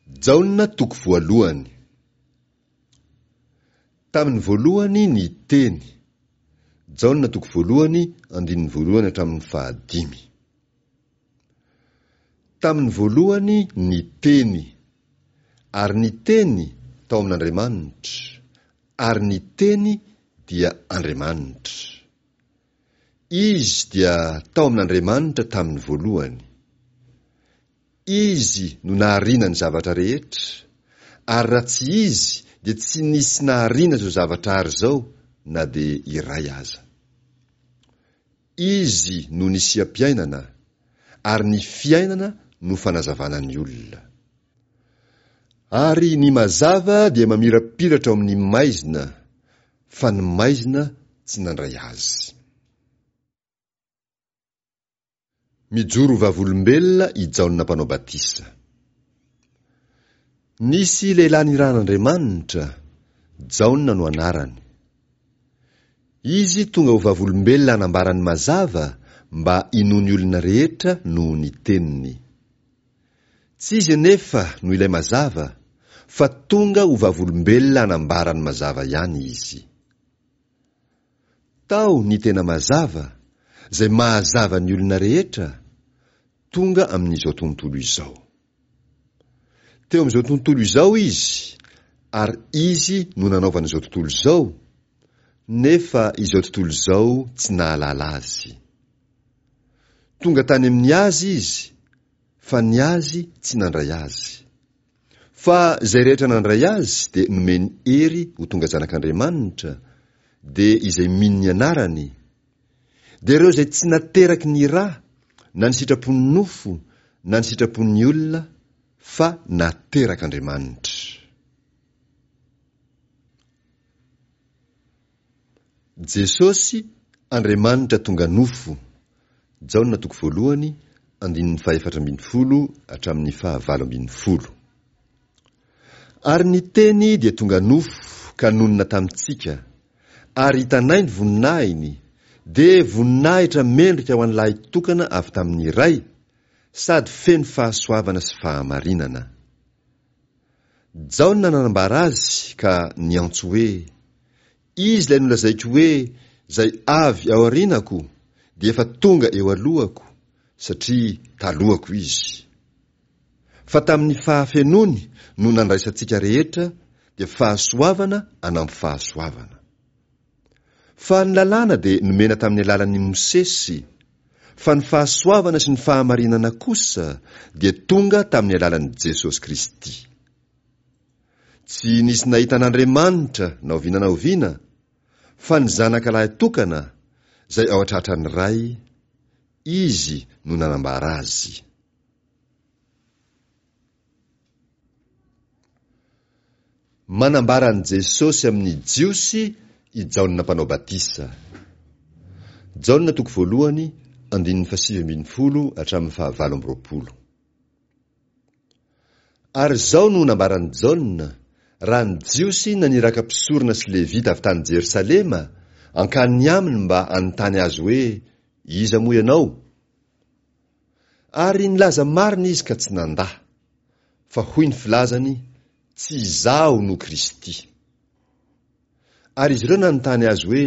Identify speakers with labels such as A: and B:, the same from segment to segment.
A: Jaona toko voalohany. Tamin'ny voalohany ny Teny. Jaona toko voalohany andininy voalohany hatramin'ny fahadimy. Tamin'ny voalohany ny Teny, ary ny Teny tao amin'Andriamanitra, ary ny Teny dia Andriamanitra. Izy dia tao amin'Andriamanitra tamin'ny voalohany. Izy no nahariana ny zavatra rehetra, ary raha tsy Izy dia tsy nisy nahariana izao zavatra ary izao na dia iray aza. Izy no nisiam-piainana, ary ny fiainana no fanazavana ny olona. Ary ny mazava dia mamirapiratra ao amin'ny maizina, fa ny maizina tsy nandray azy. Mijoro ho vavolombelona i Jaona Mpanao Batisa. Nisy lehilahy nirahan'Andriamanitra, Jaona no anarany. Izy tonga ho vavolombelona hanambara ny mazava mba hinoan'ny olona rehetra noho ny teniny. Tsy izy anefa no ilay mazava, fa tonga ho vavolombelona hanambara ny mazava ihany izy. Tao ny tena mazava, izay mahazava ny olona rehetra, tonga amin'izao tontolo izao. Teo amin'izao tontolo izao izy, ary izy no nanaovana izao tontolo izao, nefa izao tontolo izao tsy nahalala azy. Tonga tany amin'ny azy izy, fa ny azy tsy nandray azy. Fa izay rehetra nandray azy dia nomeny hery ho tonga zanak'Andriamanitra, dia izay mino ny anarany, Dia ireo izay tsy nateraky ny ra, na ny sitrapon'ny nofo, na ny sitrapon'ny olona, fa naterak'Andriamanitra. Jesosy, Andriamanitra tonga nofo, Jaona toko voalohany, andininy fahefatra ambinifolo hatramin'ny fahavalo ambinifolo. Ary ny Teny dia tonga nofo ka nonina tamintsika, ary hitanay ny voninahiny, dia voninahitra mendrika ho an'ny Lahitokana avy tamin'ny Ray, sady feno fahasoavana sy fahamarinana. Jaona nanambara azy ka niantso hoe, Izy ilay nolazaiko hoe, Izay avy ao aorianako dia efa tonga eo alohako, satria talohako izy. Fa tamin'ny fahafenoany no nandraisantsika rehetra dia fahasoavana anampy fahasoavana. Fa ny lalàna dia nomena tamin'ny alalan'i Mosesy, fa ny fahasoavana sy ny fahamarinana kosa dia tonga tamin'ny alalan'i Jesosy Kristy. Tsy nisy nahita an'Andriamanitra na oviana na oviana, fa ny Zanaka lahy tokana, izay ao an-tratran'ny Ray, Izy no nanambara azy. Manambara an'i Jesosy amin'ny Jiosy i Jaona Mpanao Batisa. Jaona toko voalohany, andininy fahasivy ambinifolo hatramin'ny fahavalo amby roapolo. Ary izao no nambaran'i Jaona, raha ny Jiosy naniraka mpisorona sy Levita avy tany Jerosalema hankany aminy mba hanontany azy hoe, Iza moa ianao? Ary nilaza marina izy ka tsy nandà, fa hoy ny filazany, Tsy izaho no Kristy. Ary izy ireo nanontany azy hoe,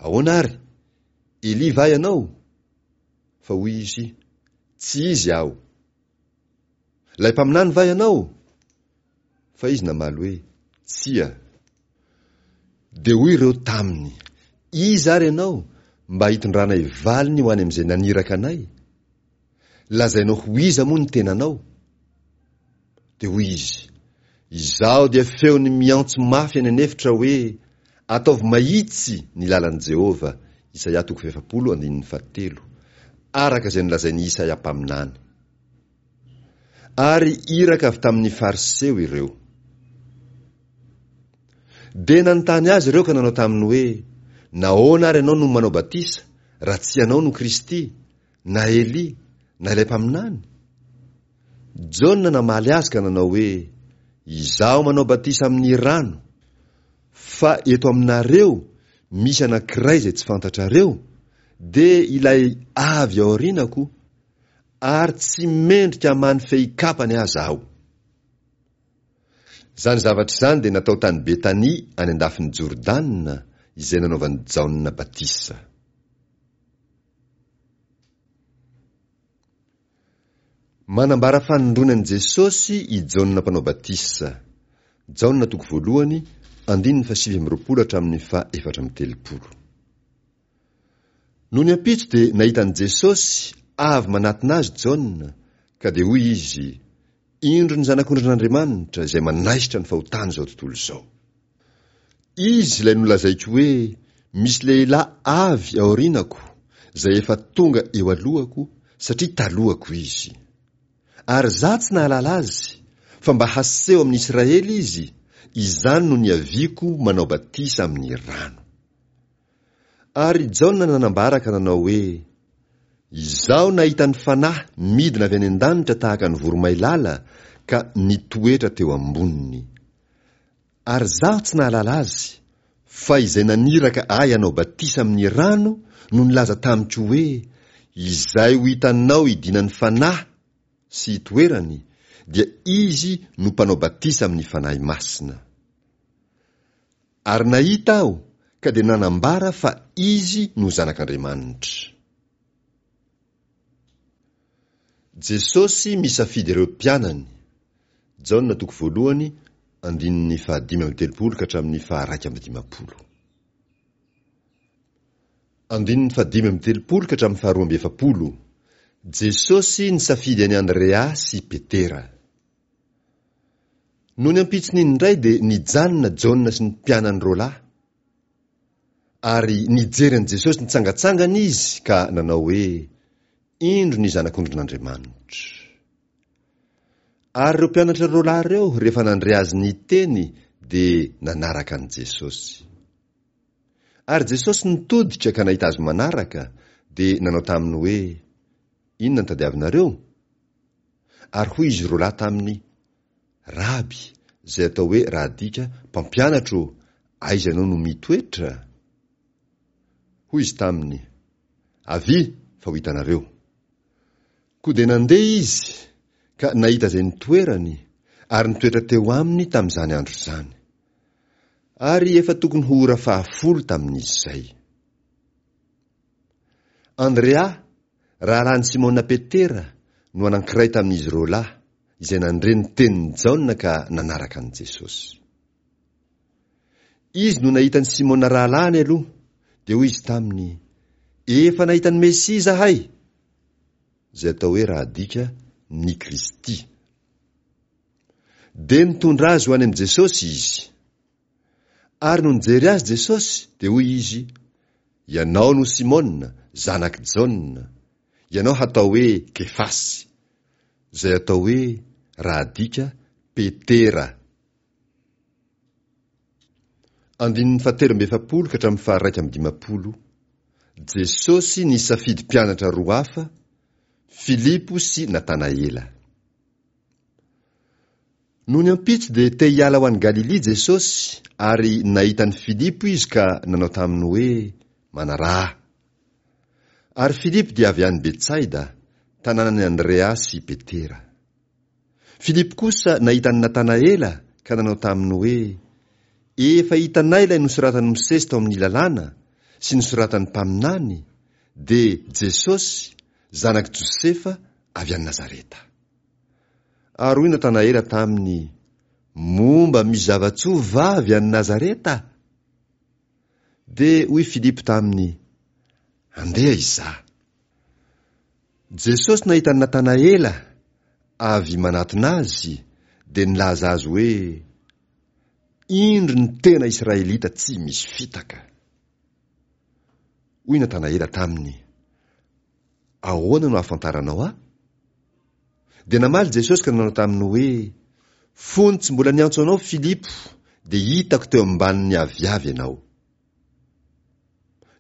A: Ahoana àry? Elia va ianao? Fa hoy izy, Tsy izy aho. Ilay mpaminany va ianao? Fa izy namaly hoe, Tsia. Dia hoy ireo taminy, Iza ary ianao, mba hitondranay valiny ho any amin'izay naniraka anay? Lazainao ho iza moa ny tenanao? Dia hoy izy, Izaho dia feon'ny miantso mafy any an'efitra hoe, Ataovy mahitsy ny lalan'i Jehovah, Isaia toko fahefapolo andininy fahatelo, araka izay nolazain'i Isaia mpaminany. Ary iraka avy tamin'ny Fariseo ireo. Dia nanontany azy ireo ka nanao taminy hoe, Nahoana ary ianao no manao batisa, raha tsy ianao no Kristy, na Elia, na ilay mpaminany? Jaona namaly azy ka nanao hoe, Izaho manao batisa amin'ny rano, fa eto aminareo misy anankiray izay tsy fantatrareo, dia ilay avy aorianako, ary tsy mendrika hamaha ny fehikapany aza aho. Izany zavatra izany dia natao tany Betania any an-dafin'i Jordana, izay nanaovan'i Jaona batisa. Manambara fanindroany an'i Jesosy i Jaona Mpanao Batisa. Jaona toko voalohany, andininy fahasivy amby 20 hatramin'ny faha-34. Nony ampitso dia nahita an'i Jesosy avy manatona azy Jaona, ka dia hoy izy, Indro ny Zanak'ondrin'Andriamanitra izay manaisotra ny fahotan'izao tontolo izao. Izy ilay nolazaiko hoe, Misy lehilahy avy aorianako, izay efa tonga eo alohako, satria talohako izy. Ary izaho tsy nahalala azy, fa mba haseho amin'i Israely izy, izany no niaviako manao batisa amin'ny rano. Ary Jaona nanambara ka nanao hoe, Izaho nahita ny Fanahy midina avy any an-danitra tahaka ny voromailala ka nitoetra teo amboniny. Ary izaho tsy nahalala azy, fa izay naniraka ahy hanao batisa amin'ny rano no nilaza tamiko hoe, Izay ho hitanao hidinan'ny Fanahy sy hitoerany, dia izy no mpanao batisa amin'ny Fanahy Masina. Ary nahita aho ka dia nanambara fa Izy no Zanak'Andriamanitra. Jesosy misafidy ireo mpianany, Jaona toko voalohany, andininy fahadimy amby telopolo ka hatramin'ny faha-iraika amby dimampolo. Andininy fahadimy amby telopolo ka hatramin'ny faharoa amby efapolo, Jesosy nisafidy an'i Andrea sy Petera. Nony ampitson'iny indray dia nijanona Jaona sy ny mpianany roalahy. Ary nijery an'i Jesosy nitsangantsangana izy ka nanao hoe, Indro ny Zanak'ondrin'Andriamanitra. Ary ireo mpianatra roalahy ireo rehefa nandre azy niteny dia nanaraka an'i Jesosy. Ary Jesosy nitodika ka nahita azy manaraka dia nanao taminy hoe, Inona no tadiavinareo? Ary hoy izy roalahy taminy, Raby, izay atao hoe raha adika, Mpampianatra ô, aiza ianao no mitoetra? Hoy izy taminy, Avia, fa ho hitanareo. Koa dia nandeha izy, ka nahita izay nitoerany, ary nitoetra teo aminy tamin'izany andro izany. Ary efa tokony ho ora fahafolo tamin'izay. Andrea, rahalahin'i Simona Petera, no anankiray tamin'izy roalahy, izay nandre ny tenin'i Jaona ka nanaraka an'i Jesosy. Izy no nahita an'i Simona rahalahiny aloha, dia hoy izy taminy, Efa nahita ny Mesia izahay! Izay atao hoe raha adika, ny Kristy. Dia nitondra azy ho any amin'i Jesosy izy. Ary nony nijery azy Jesosy, dia hoy Izy, Ianao no Simona, zanak'i Jaona. Ianao hatao hoe Kefasy, izay atao hoe, raha adika, Petera. Andininy fahatelo amby efapolo ka hatramin'ny faha-iraika amby dimampolo. Jesosy nisafidy mpianatra roa hafa, Filipo sy Natanaela. Nony ampitso dia te hiala ho any Galilia Jesosy, ary nahita an'i Filipo izy ka nanao taminy hoe, Manaraha ahy. Ary Filipo dia avy any Betsaida, tanànan'i Andrea sy Petera. Filipo kosa nahita an'i Natanaela ka nanao taminy hoe, Efa hitanay ilay nosoratan'i Mosesy tao amin'ny Lalàna sy nosoratan'ny mpaminany, dia Jesosy, zanak'i Josefa avy any Nazareta. Ary hoy Natanaela taminy, Moa mba misy zava-tsoa va avy any Nazareta? Dia hoy Filipo taminy, Andeha hizaha. Jesosy nahita an'i Natanaela avy manatona azy, dia nilaza azy hoe, Indro ny tena Israelita tsy misy fitaka. Hoy Natanaela taminy, Ahoana no ahafantaranao ahy? Dia namaly Jesosy ka nanao taminy hoe, Fony tsy mbola niantso anao Filipo, dia hitako teo ambanin'ny aviavy ianao.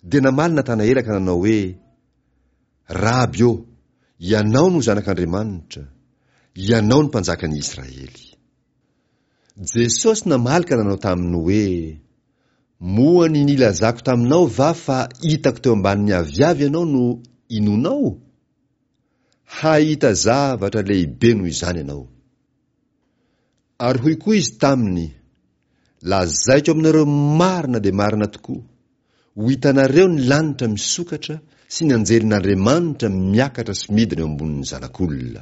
A: Dia namaly Natanaela ka nanao hoe, Raby ô, ianao no Zanak'Andriamanitra, ianao no Mpanjakan'i Israely. Jesosy namaly ka nanao taminy hoe, Moa ny nilazako taminao va fa hitako teo ambanin'ny aviavy ianao no inoanao? Hahita zavatra lehibe noho izany ianao. Ary hoy koa izy taminy, Lazaiko aminareo marina dia marina tokoa, ho hitanareo ny lanitra misokatra sy ny anjelin'Andriamanitra miakatra sy midina eo ambonin'ny Zanak'olona.